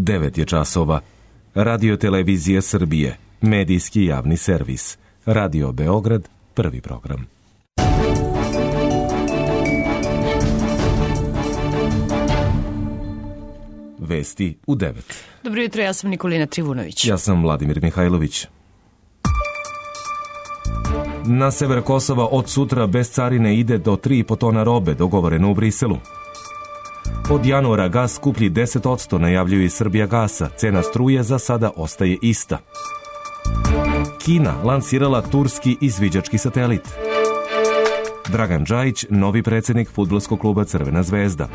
9 je časova. Radio Televizija Srbije, medijski javni servis. Radio Beograd, prvi program. Vesti u 9. Dobro jutro, ja sam Nikolina Trivunović. Ja sam Vladimir Mihajlović. Na sever Kosova od sutra bez carine ide do 3,5 tona robe, dogovoreno u Briselu. Od januara gas skuplji 10%, najavljuju iz Srbijagasa. Cena struje za sada ostaje ista. Kina lansirala turski izviđački satelit. Dragan Džajić, novi predsjednik fudbalskog kluba Crvena zvezda.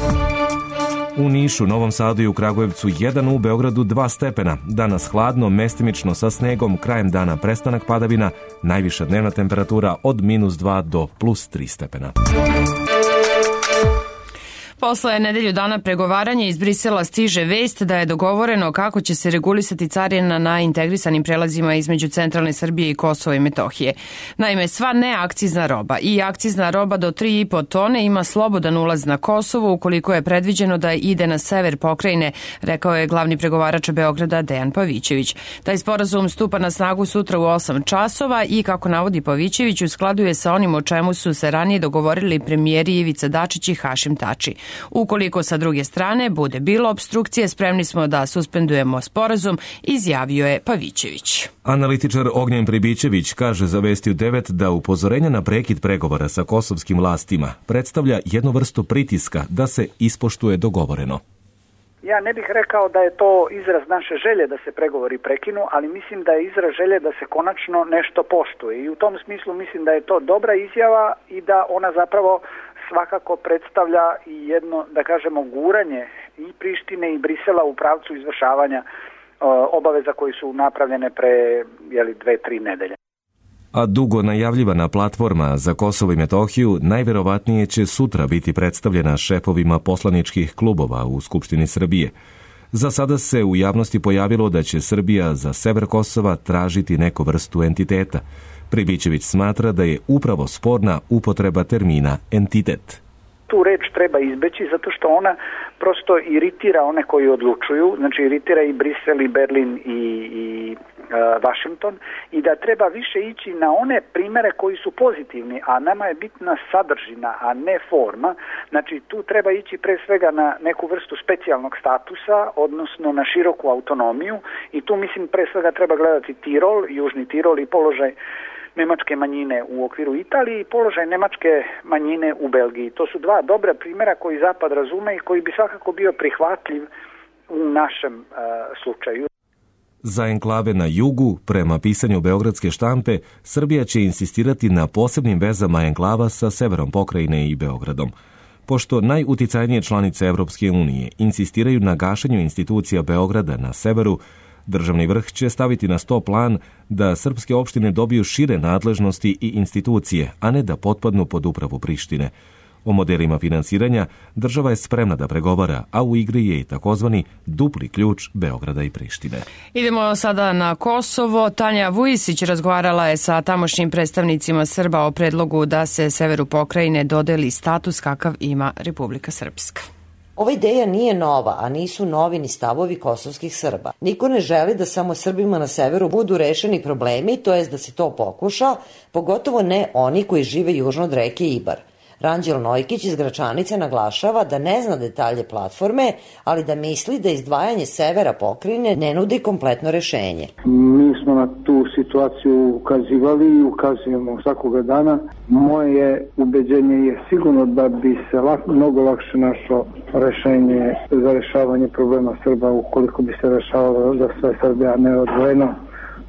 U Nišu, Novom Sadu i u Kragujevcu 1, u Beogradu 2 stepena. Danas hladno, mestimično sa snegom, krajem dana prestanak padavina, najviša dnevna temperatura od -2 do +3 stepena. Posle nedelju dana pregovaranja iz Brisela stiže vest da je dogovoreno kako će se regulisati carina na integrisanim prelazima između centralne Srbije i Kosova i Metohije. Naime, sva neakcizna roba i akcizna roba do 3,5 tone ima slobodan ulaz na Kosovo ukoliko je predviđeno da ide na sever pokrajine, rekao je glavni pregovarač Beograda Dejan Pavićević. Taj sporazum stupa na snagu sutra u 8 časova i, kako navodi Pavićević, u skladu je sa onim o čemu su se ranije dogovorili premijeri Ivica Dačić i Hašim Tači. Ukoliko sa druge strane bude bilo opstrukcije, spremni smo da suspendujemo sporazum, izjavio je Pavićević. Analitičar Ognjen Pribićević kaže za Vesti u 9 da upozorenje na prekid pregovora sa kosovskim vlastima predstavlja jednu vrstu pritiska da se ispoštuje dogovoreno. Ja ne bih rekao da je to izraz naše želje da se pregovori prekinu, ali mislim da je izraz želje da se konačno nešto poštuje. I u tom smislu mislim da je to dobra izjava i da ona zapravo svakako predstavlja i jedno, da kažemo, guranje i Prištine i Brisela u pravcu izvršavanja obaveza koji su napravljene pre 2-3 nedelje. A dugo najavljivana platforma za Kosovo i Metohiju najverovatnije će sutra biti predstavljena šefovima poslaničkih klubova u Skupštini Srbije. Za sada se u javnosti pojavilo da će Srbija za sever Kosova tražiti neku vrstu entiteta. Pribićević smatra da je upravo sporna upotreba termina entitet. Tu reč treba izbeći zato što ona prosto iritira one koji odlučuju, znači iritira i Brisel i Berlin i Washington, i da treba više ići na one primere koji su pozitivni, a nama je bitna sadržina, a ne forma. Znači tu treba ići pre svega na neku vrstu specijalnog statusa, odnosno na široku autonomiju, i tu mislim pre svega treba gledati Tirol, Južni Tirol i položaj nemačke manjine u okviru Italije i položaj nemačke manjine u Belgiji. To su dva dobra primjera koji Zapad razume i koji bi svakako bio prihvatljiv u našem slučaju. Za enklave na jugu, prema pisanju beogradske štampe, Srbija će insistirati na posebnim vezama enklava sa severom pokrajine i Beogradom. Pošto najuticajnije članice Evropske unije insistiraju na gašenju institucija Beograda na severu, državni vrh će staviti na sto plan da srpske opštine dobiju šire nadležnosti i institucije, a ne da potpadnu pod upravu Prištine. O modelima finansiranja država je spremna da pregovara, a u igri je i takozvani dupli ključ Beograda i Prištine. Idemo sada na Kosovo. Tanja Vujisić razgovarala je sa tamošnjim predstavnicima Srba o predlogu da se severu pokrajine dodeli status kakav ima Republika Srpska. Ova ideja nije nova, a nisu novi ni stavovi kosovskih Srba. Niko ne želi da samo Srbima na severu budu rešeni problemi, to jest da se to pokuša, pogotovo ne oni koji žive južno od reke Ibar. Ranđel Nojkić iz Gračanice naglašava da ne zna detalje platforme, ali da misli da izdvajanje severa pokrajine ne nudi kompletno rešenje. Mi smo na tu situaciju ukazivali i ukazujemo svakoga dana. Moje ubeđenje je sigurno da bi se mnogo lakše našlo rešenje za rešavanje problema Srba ukoliko bi se rešavalo za sve Srbe, a ne odvojeno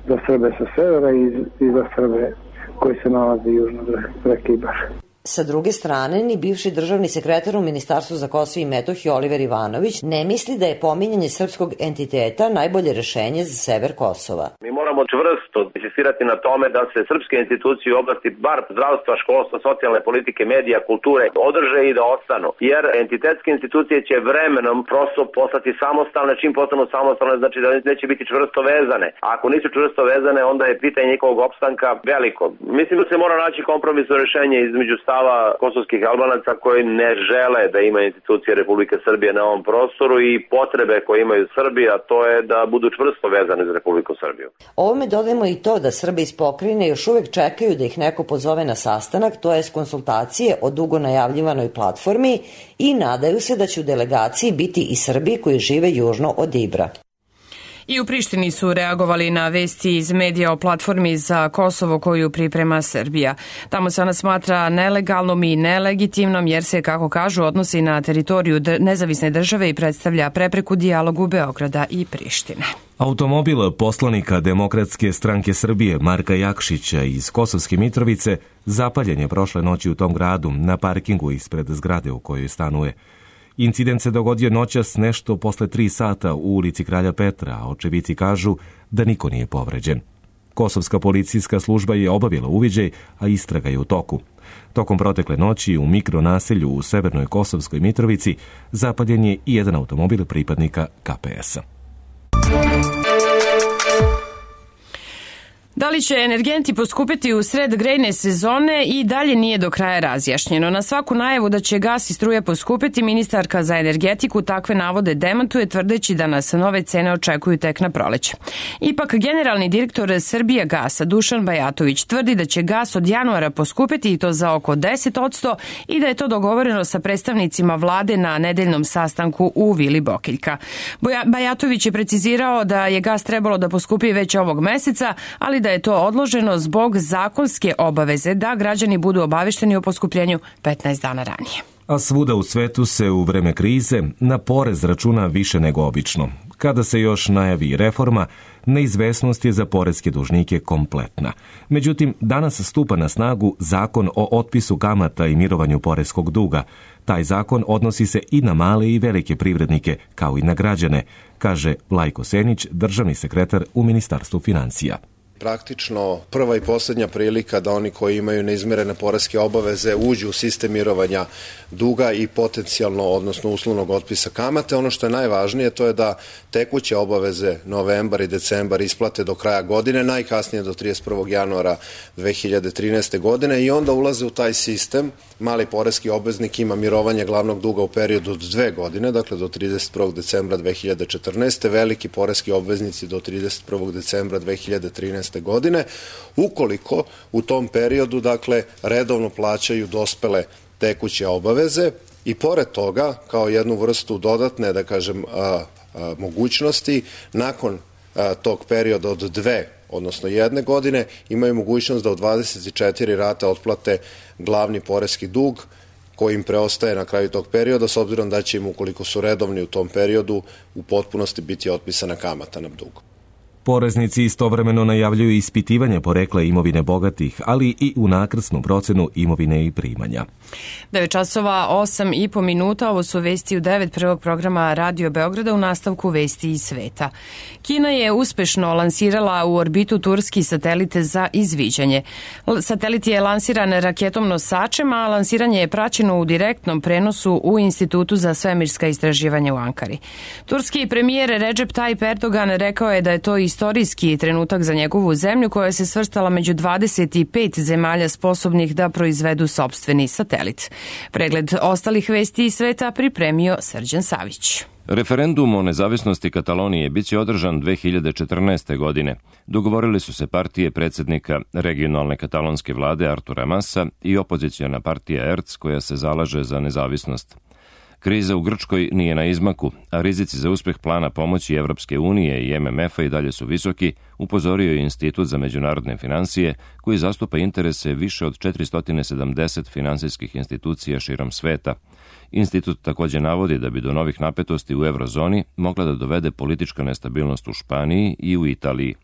za Srbe sa severa i za Srbe koji se nalaze južno od reke Ibar. Sa druge strane, ni bivši državni sekretar u Ministarstvu za Kosovo i Metohiju Oliver Ivanović ne misli da je pominjanje srpskog entiteta najbolje rešenje za sever Kosova. Mi moramo moramo čvrsto insistirati na tome da se srpske institucije u oblasti bar zdravstva, školstva, socijalne politike, medija, kulture održe i da ostanu. Jer entitetske institucije će vremenom prosto postati samostalne, čim postanu samostalne znači da neće biti čvrsto vezane. A ako nisu čvrsto vezane, onda je pitanje njihovog opstanka veliko. Mislim da se mora naći kompromisno rješenje između stava kosovskih Albanaca koji ne žele da ima institucije Republike Srbije na ovom prostoru i potrebe koje imaju Srbi, a to je da budu čvrsto vezane za Republiku Srbiju. Ovome dodajemo i to da Srbi iz pokrajine još uvek čekaju da ih neko pozove na sastanak, to jest konsultacije o dugo najavljivanoj platformi i nadaju se da će u delegaciji biti i Srbi koji žive južno od Ibra. I u Prištini su reagovali na vesti iz medija o platformi za Kosovo koju priprema Srbija. Tamo se ona smatra nelegalnom i nelegitimnom jer se, kako kažu, odnosi na teritoriju nezavisne države i predstavlja prepreku dijalogu Beograda i Prištine. Automobil poslanika Demokratske stranke Srbije Marka Jakšića iz Kosovske Mitrovice zapaljen je prošle noći u tom gradu na parkingu ispred zgrade u kojoj stanuje. Incident se dogodio noćas nešto posle 3 sata u ulici Kralja Petra, a očevici kažu da niko nije povređen. Kosovska policijska služba je obavila uviđaj, a istraga je u toku. Tokom protekle noći u mikronaselju u severnoj Kosovskoj Mitrovici zapaljen je i jedan automobil pripadnika KPS-a. Da li će energenti poskupiti u sred grejne sezone i dalje nije do kraja razjašnjeno. Na svaku najavu da će gas i struja poskupiti, ministarka za energetiku takve navode demantuje tvrdeći da nas nove cene očekuju tek na proleće. Ipak, generalni direktor Srbijagasa Dušan Bajatović tvrdi da će gas od januara poskupiti i to za oko 10% i da je to dogovoreno sa predstavnicima vlade na nedeljnom sastanku u Vili Bokeljka. Bajatović je precizirao da je gas trebalo da poskupi već ovog meseca, ali da je to odloženo zbog zakonske obaveze da građani budu obavešteni o poskupljenju 15 dana ranije. A svuda u svetu se u vreme krize na porez računa više nego obično. Kada se još najavi reforma, neizvesnost je za poreske dužnike kompletna. Međutim, danas stupa na snagu zakon o otpisu kamata i mirovanju poreskog duga. Taj zakon odnosi se i na male i velike privrednike, kao i na građane, kaže Lajko Senić, državni sekretar u Ministarstvu financija. Praktično prva i posljednja prilika da oni koji imaju neizmirene poreske obaveze uđu u sistem mirovanja duga i potencijalno, odnosno uslovnog otpisa kamate. Ono što je najvažnije to je da tekuće obaveze novembar i decembar isplate do kraja godine, najkasnije do 31. januara 2013. godine i onda ulaze u taj sistem. Mali poreski obveznik ima mirovanje glavnog duga u periodu od 2 godine, dakle do 31. decembra 2014. Veliki poreski obveznici do 31. decembra 2013. godine, ukoliko u tom periodu, dakle, redovno plaćaju dospele tekuće obaveze i pored toga, kao jednu vrstu dodatne, da kažem, mogućnosti, nakon tog perioda od 2, odnosno 1 godine, imaju mogućnost da u 24 rate otplate glavni poreski dug koji im preostaje na kraju tog perioda, s obzirom da će im, ukoliko su redovni u tom periodu, u potpunosti biti otpisana kamata na dug. Poreznici istovremeno najavljuju ispitivanje porekla imovine bogatih, ali i unakrsnu procenu imovine i primanja. 9 časova 8,5 minuta, ovo su vesti u 9 prvog programa Radio Beograda, u nastavku vesti iz sveta. Kina je uspešno lansirala u orbitu turski satelit za izviđanje. Satelit je lansiran raketom nosačem, a lansiranje je praćeno u direktnom prenosu u Institutu za svemirska istraživanja u Ankari. Turski premijer Recep Tayyip Erdogan rekao je da je to istorijski trenutak za njegovu zemlju koja se svrstala među 25 zemalja sposobnih da proizvedu sopstveni satelit. Pregled ostalih vesti iz sveta pripremio Srđan Savić. Referendum o nezavisnosti Katalonije biće održan 2014. godine. Dogovorili su se partije predsjednika regionalne katalonske vlade Artura Masa i opoziciona partija ERC koja se zalaže za nezavisnost. Kriza u Grčkoj nije na izmaku, a rizici za uspeh plana pomoći Evropske unije i MMF-a i dalje su visoki, upozorio je Institut za međunarodne financije, koji zastupa interese više od 470 finansijskih institucija širom sveta. Institut također navodi da bi do novih napetosti u eurozoni mogla da dovede politička nestabilnost u Španiji i u Italiji.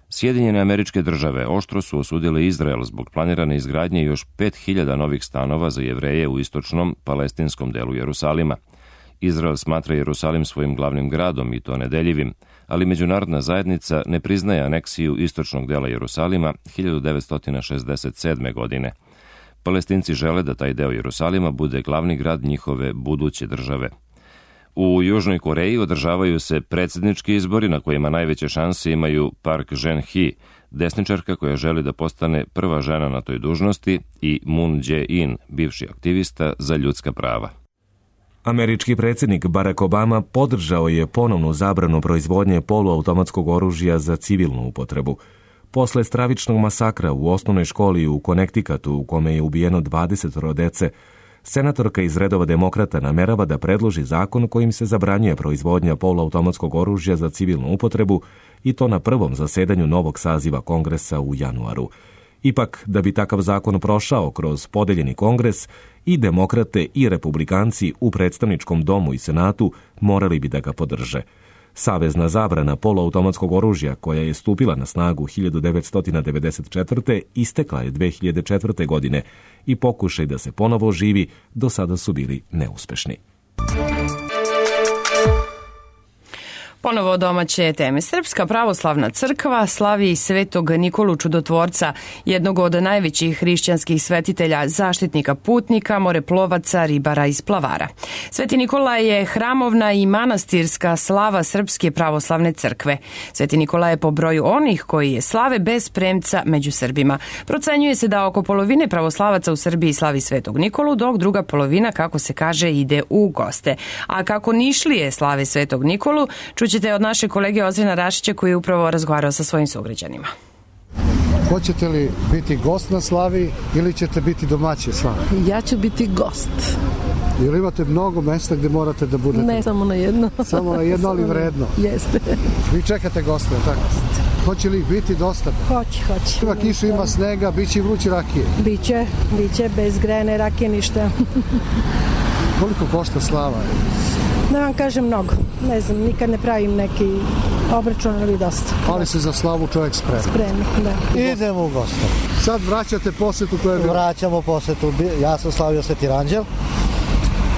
Sjedinjene Američke Države oštro su osudile Izrael zbog planirane izgradnje još 5000 novih stanova za Jevreje u istočnom palestinskom delu Jerusalima. Izrael smatra Jerusalim svojim glavnim gradom i to nedeljivim, ali međunarodna zajednica ne priznaje aneksiju istočnog dela Jerusalima 1967. godine. Palestinci žele da taj deo Jerusalima bude glavni grad njihove buduće države. U Južnoj Koreji održavaju se predsjednički izbori na kojima najveće šanse imaju Park Geun-hye, desničarka koja želi da postane prva žena na toj dužnosti, i Moon Jae-in, bivši aktivista za ljudska prava. Američki predsjednik Barack Obama podržao je ponovnu zabranu proizvodnje poluautomatskog oružja za civilnu upotrebu. Posle stravičnog masakra u osnovnoj školi u Connecticutu u kome je ubijeno 20 dece, senatorka iz redova demokrata namerava da predloži zakon kojim se zabranjuje proizvodnja poluautomatskog oružja za civilnu upotrebu, i to na prvom zasedanju novog saziva Kongresa u januaru. Ipak, da bi takav zakon prošao kroz podeljeni Kongres, i demokrate i republikanci u predstavničkom domu i senatu morali bi da ga podrže. Savezna zabrana poluautomatskog oružja, koja je stupila na snagu 1994. istekla je 2004. godine i pokušaj da se ponovo oživi do sada su bili neuspešni. Ponovo domaće teme. Srpska pravoslavna crkva slavi Svetog Nikolu Čudotvorca, jednog od najvećih hrišćanskih svetitelja, zaštitnika putnika, moreplovaca, ribara i splavara. Sveti Nikola je hramovna i manastirska slava Srpske pravoslavne crkve. Sveti Nikola je po broju onih koji je slave bez premca među Srbima. Procenjuje se da oko polovine pravoslavaca u Srbiji slavi Svetog Nikolu, dok druga polovina, kako se kaže, ide u goste. A kako Nišlije slave Svetog Nikolu, čućete od naše kolege Ozrena Rašića koji je upravo razgovarao sa svojim sugrađanima. Hoćete li biti gost na slavi ili ćete biti domaći slavi? Ja ću biti gost. Ili imate mnogo mesta gde morate da budete? Ne, samo na jedno. Samo na jedno, ali vredno. Jeste. Vi čekate goste, tako? Hoće li ih biti dosta? Hoće. Ima kišu, ima snega, bit će i vruće rakije. Biće, bez grejane rakije ništa. Koliko košta slava? Da vam kažem mnogo. Ne znam, nikad ne pravim neki obračun, ali dosta. Ali se za slavu čovjek sprema. Da. Idemo u goste. Sad vraćate posetu koju je bilo? Vraćamo posetu. Ja sam slavio Sveti Ranđel,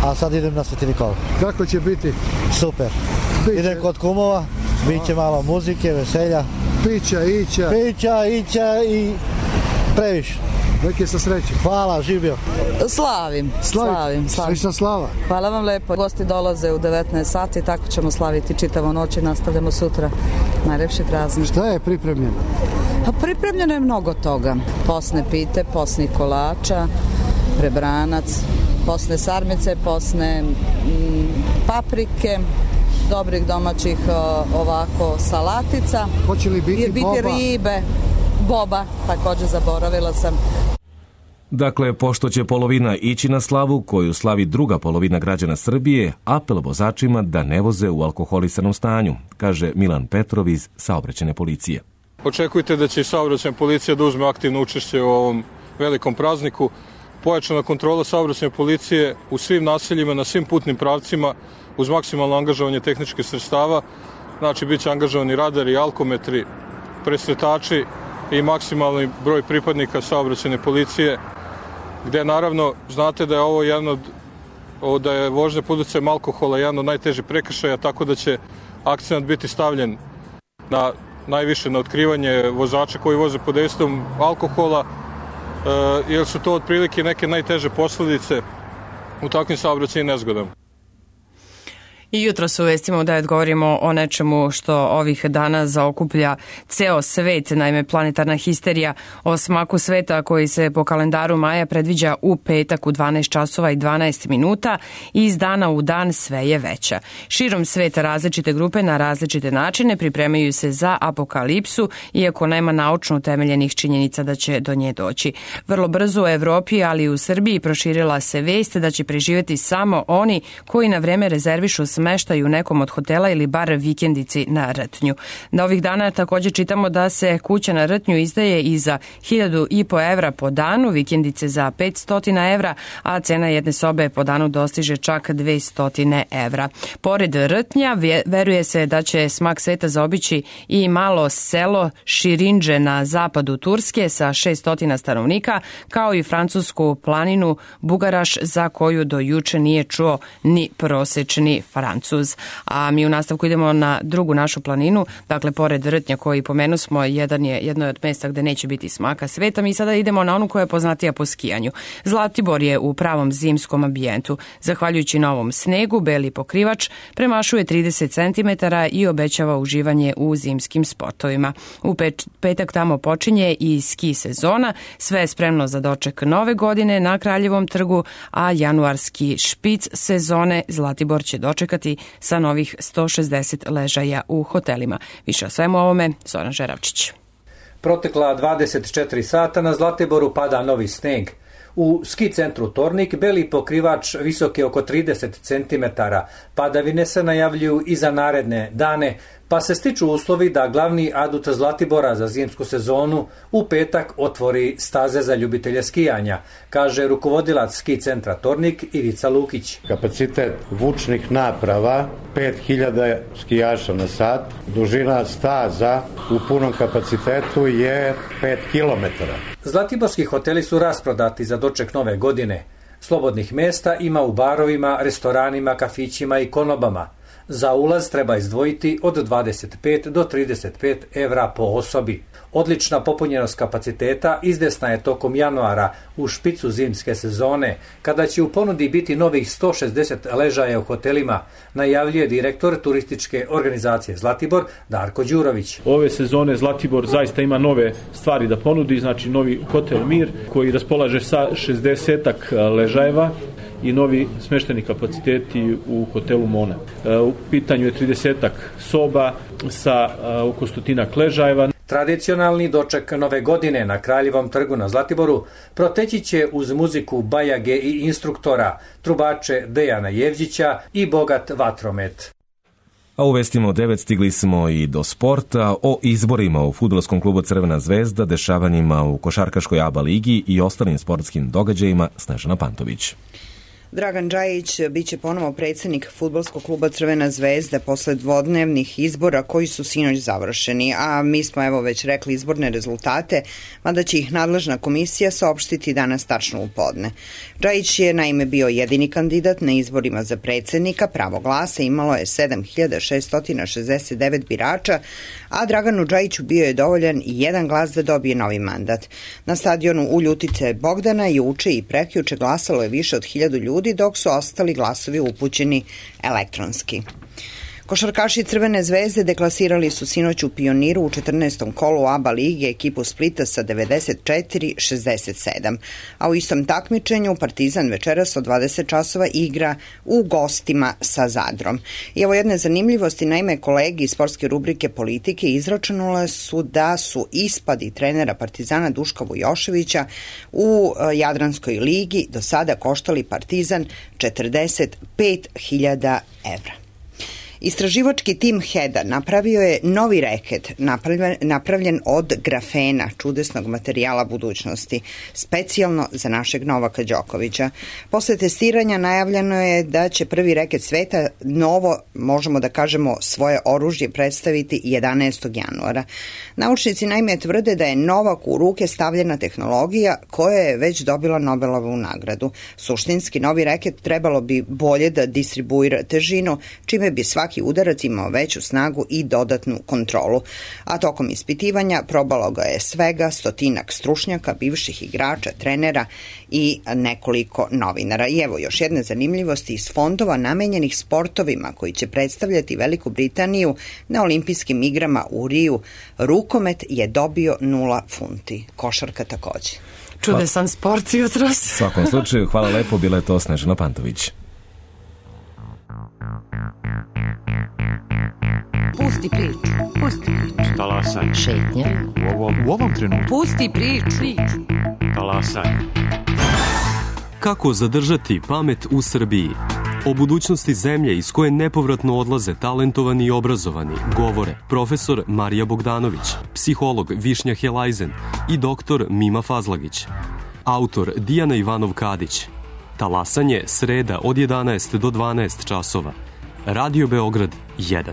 a sad idem na Sveti Nikola. Kako će biti? Super. Idem kod kumova, bit će malo muzike, veselja. Pića i previše. Neke sa sreće. Hvala, živio. Slavim. Slična slava. Hvala vam lepo. Gosti dolaze u 19 sati, tako ćemo slaviti čitavu noć i nastavljamo sutra. Najlepši praznik. Šta je pripremljeno? Pripremljeno je mnogo toga. Posne pite, posnih kolača, prebranac, posne sarmice, posne paprike, dobrih domaćih ovako salatica. Hoće li biti ribe? Boba, također zaboravila sam. Dakle, pošto će polovina ići na slavu, koju slavi druga polovina građana Srbije, apel vozačima da ne voze u alkoholisanom stanju, kaže Milan Petrov iz Saobraćajne policije. Očekujte da će i Saobraćajna policija da uzme aktivno učešće u ovom velikom prazniku. Pojačana kontrola Saobraćajne policije u svim naseljima, na svim putnim pravcima, uz maksimalno angažovanje tehničkih sredstava. Znači, bit će angažovani radari, alkometri, presretači i maksimalni broj pripadnika Saobraćajne policije, gde naravno znate da je ovo da je vožnja pod uticajem alkohola jedan od najtežih prekršaja, tako da će akcent biti stavljen najviše na otkrivanje vozača koji voze pod dejstvom alkohola, jer su to otprilike neke najteže posledice u takvim saobraćajnim nezgodama. I jutro su vestima da govorimo o nečemu što ovih dana zaokuplja ceo svet, naime planetarna histerija o smaku sveta koji se po kalendaru Maja predviđa u petak u 12 časova i 12 minuta i iz dana u dan sve je veća. Širom sveta različite grupe na različite načine pripremaju se za apokalipsu, iako nema naučno utemeljenih činjenica da će do nje doći. Vrlo brzo u Evropi, ali i u Srbiji proširila se vest da će preživjeti samo oni koji na vreme rezervišu smeštaj u nekom od hotela ili bar vikendici na Rtnju. Na ovih dana također čitamo da se kuća na Rtnju izdaje i za 1.500 evra po danu, vikendice za 500 evra, a cena jedne sobe po danu dostiže čak 200 evra. Pored Rtnja, veruje se da će smak sveta zaobići i malo selo Širindže na zapadu Turske sa 600 stanovnika, kao i francusku planinu Bugaraš, za koju do juče nije čuo ni prosečni Francuz. A mi u nastavku idemo na drugu našu planinu, dakle pored Rtnja koji pomenu smo, jedno je od mjesta gde neće biti smaka sveta. Mi sada idemo na onu koja je poznatija po skijanju. Zlatibor je u pravom zimskom ambijentu. Zahvaljujući novom snegu, beli pokrivač premašuje 30 cm i obećava uživanje u zimskim sportovima. U petak tamo počinje i ski sezona, sve je spremno za doček nove godine na Kraljevom trgu, a januarski špic sezone Zlatibor će dočekati sa novih 160 ležaja u hotelima. Više o svemu ovome, Zoran Žeravčić. Protekla 24 sata na Zlatiboru pada novi sneg. U ski centru Tornik beli pokrivač visok je oko 30 cm. Padavine se najavljuju i za naredne dane, pa se stiču uslovi da glavni adut Zlatibora za zimsku sezonu u petak otvori staze za ljubitelje skijanja, kaže rukovodilac ski centra Tornik Ivica Lukić. Kapacitet vučnih naprava 5000 skijaša na sat, dužina staza u punom kapacitetu je 5 km. Zlatiborski hoteli su rasprodati za doček nove godine. Slobodnih mjesta ima u barovima, restoranima, kafićima i konobama. Za ulaz treba izdvojiti od 25 do 35 evra po osobi. Odlična popunjenost kapaciteta izvjesna je tokom januara u špicu zimske sezone, kada će u ponudi biti novih 160 ležaja u hotelima, najavljuje direktor turističke organizacije Zlatibor Darko Đurović. Ove sezone Zlatibor zaista ima nove stvari da ponudi, znači novi hotel Mir koji raspolaže sa 60 ležajeva i novi smešteni kapaciteti u hotelu Mona. U pitanju je 30 soba sa oko 100 ležajeva. Tradicionalni doček nove godine na Kraljevom trgu na Zlatiboru proteći će uz muziku bajage i instruktora, trubače Dejana Jevđića i bogat vatromet. A u vestima od 9 stigli smo i do sporta, o izborima u fudbalskom klubu Crvena zvezda, dešavanjima u košarkaškoj ABA ligi i ostalim sportskim događajima. Snežana Pantović. Dragan Džajić biće ponovo predsjednik fudbalskog kluba Crvena zvezda posle dvodnevnih izbora koji su sinoć završeni, a mi smo već rekli izborne rezultate, mada će ih nadležna komisija saopštiti danas tačno u podne. Džajić je naime bio jedini kandidat na izborima za predsjednika, pravo glasa imalo je 7669 birača, a Draganu Džajiću bio je dovoljan i jedan glas da dobije novi mandat. Na stadionu u Ljutice Bogdana juče i prekjuče glasalo je više od 1000 ljudi, dok su ostali glasovi upućeni elektronski. Košarkaši Crvene zvezde deklasirali su sinoć u Pioniru u 14. kolu ABA lige ekipu Splita sa 94-67, a u istom takmičenju Partizan večeras od 20 časova igra u gostima sa Zadrom. I evo jedne zanimljivosti, naime kolegi iz sportske rubrike Politike izračunale su da su ispadi trenera Partizana Duška Vujoševića u Jadranskoj ligi do sada koštali Partizan 45.000 evra. Istraživački tim HED-a napravio je novi reket napravljen od grafena, čudesnog materijala budućnosti, specijalno za našeg Novaka Đokovića. Posle testiranja najavljeno je da će prvi reket sveta novo, možemo da kažemo, svoje oružje predstaviti 11. januara. Naučnici naime tvrde da je Novak u ruke stavljena tehnologija koja je već dobila Nobelovu nagradu. Suštinski novi reket trebalo bi bolje da distribuira težinu, čime bi svaki udarac imao veću snagu i dodatnu kontrolu. A tokom ispitivanja probalo ga je svega 100 stručnjaka, bivših igrača, trenera i nekoliko novinara. I evo još jedne zanimljivosti iz fondova namenjenih sportovima koji će predstavljati Veliku Britaniju na olimpijskim igrama u Riju. Rukomet je dobio 0 funti. Košarka takođe. Čudesan sport jutros. U svakom slučaju, hvala lepo, bila je to Snežana Pantović. Pusti priču. Talasaj. Šetnja. U ovom trenutku. Pusti priču. Talasaj. Kako zadržati pamet u Srbiji? O budućnosti zemlje iz koje nepovratno odlaze talentovani i obrazovani govore profesor Marija Bogdanović, psiholog Višnja Helajzen i doktor Mima Fazlagić. Autor Dijana Ivanov-Kadić. Talasanje sreda od 11 do 12 časova. Radio Beograd 1.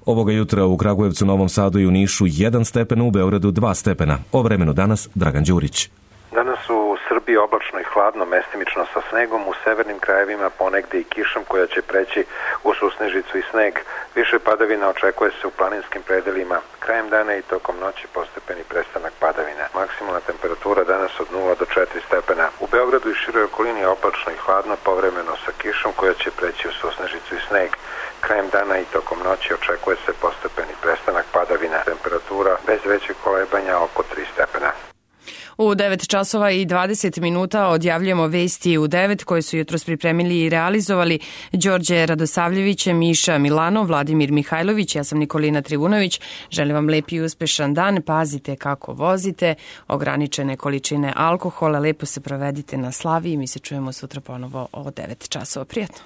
Ovoga jutra u Kragujevcu, Novom Sadu i u Nišu 1 stepen, u Beogradu 2 stepena. O vremenu danas Dragan Đurić. Danas u Srbiji oblačno i hladno, mestimično sa snegom, u severnim krajevima ponegde i kišom koja će preći u susnežicu i sneg. Više padavina očekuje se u planinskim predelima. Krajem dana i tokom noći postepeni prestanak padavina. Maksimalna temperatura danas od 0 do 4 stepena. U Beogradu i široj okolini oblačno i hladno, povremeno sa kišom koja će preći u susnežicu i sneg. Krajem dana i tokom noći očekuje se postepeni prestanak padavina. Temperatura bez većeg kolebanja oko 3 stepena. U 9 časova i 20 minuta odjavljujemo vesti u 9 koje su jutros pripremili i realizovali Đorđe Radosavljević, Miša Milanov, Vladimir Mihajlović, ja sam Nikolina Trivunović. Želim vam lep i uspešan dan, pazite kako vozite, ograničene količine alkohola, lepo se provedite na slavi i mi se čujemo sutra ponovo o 9 časova. Prijatno.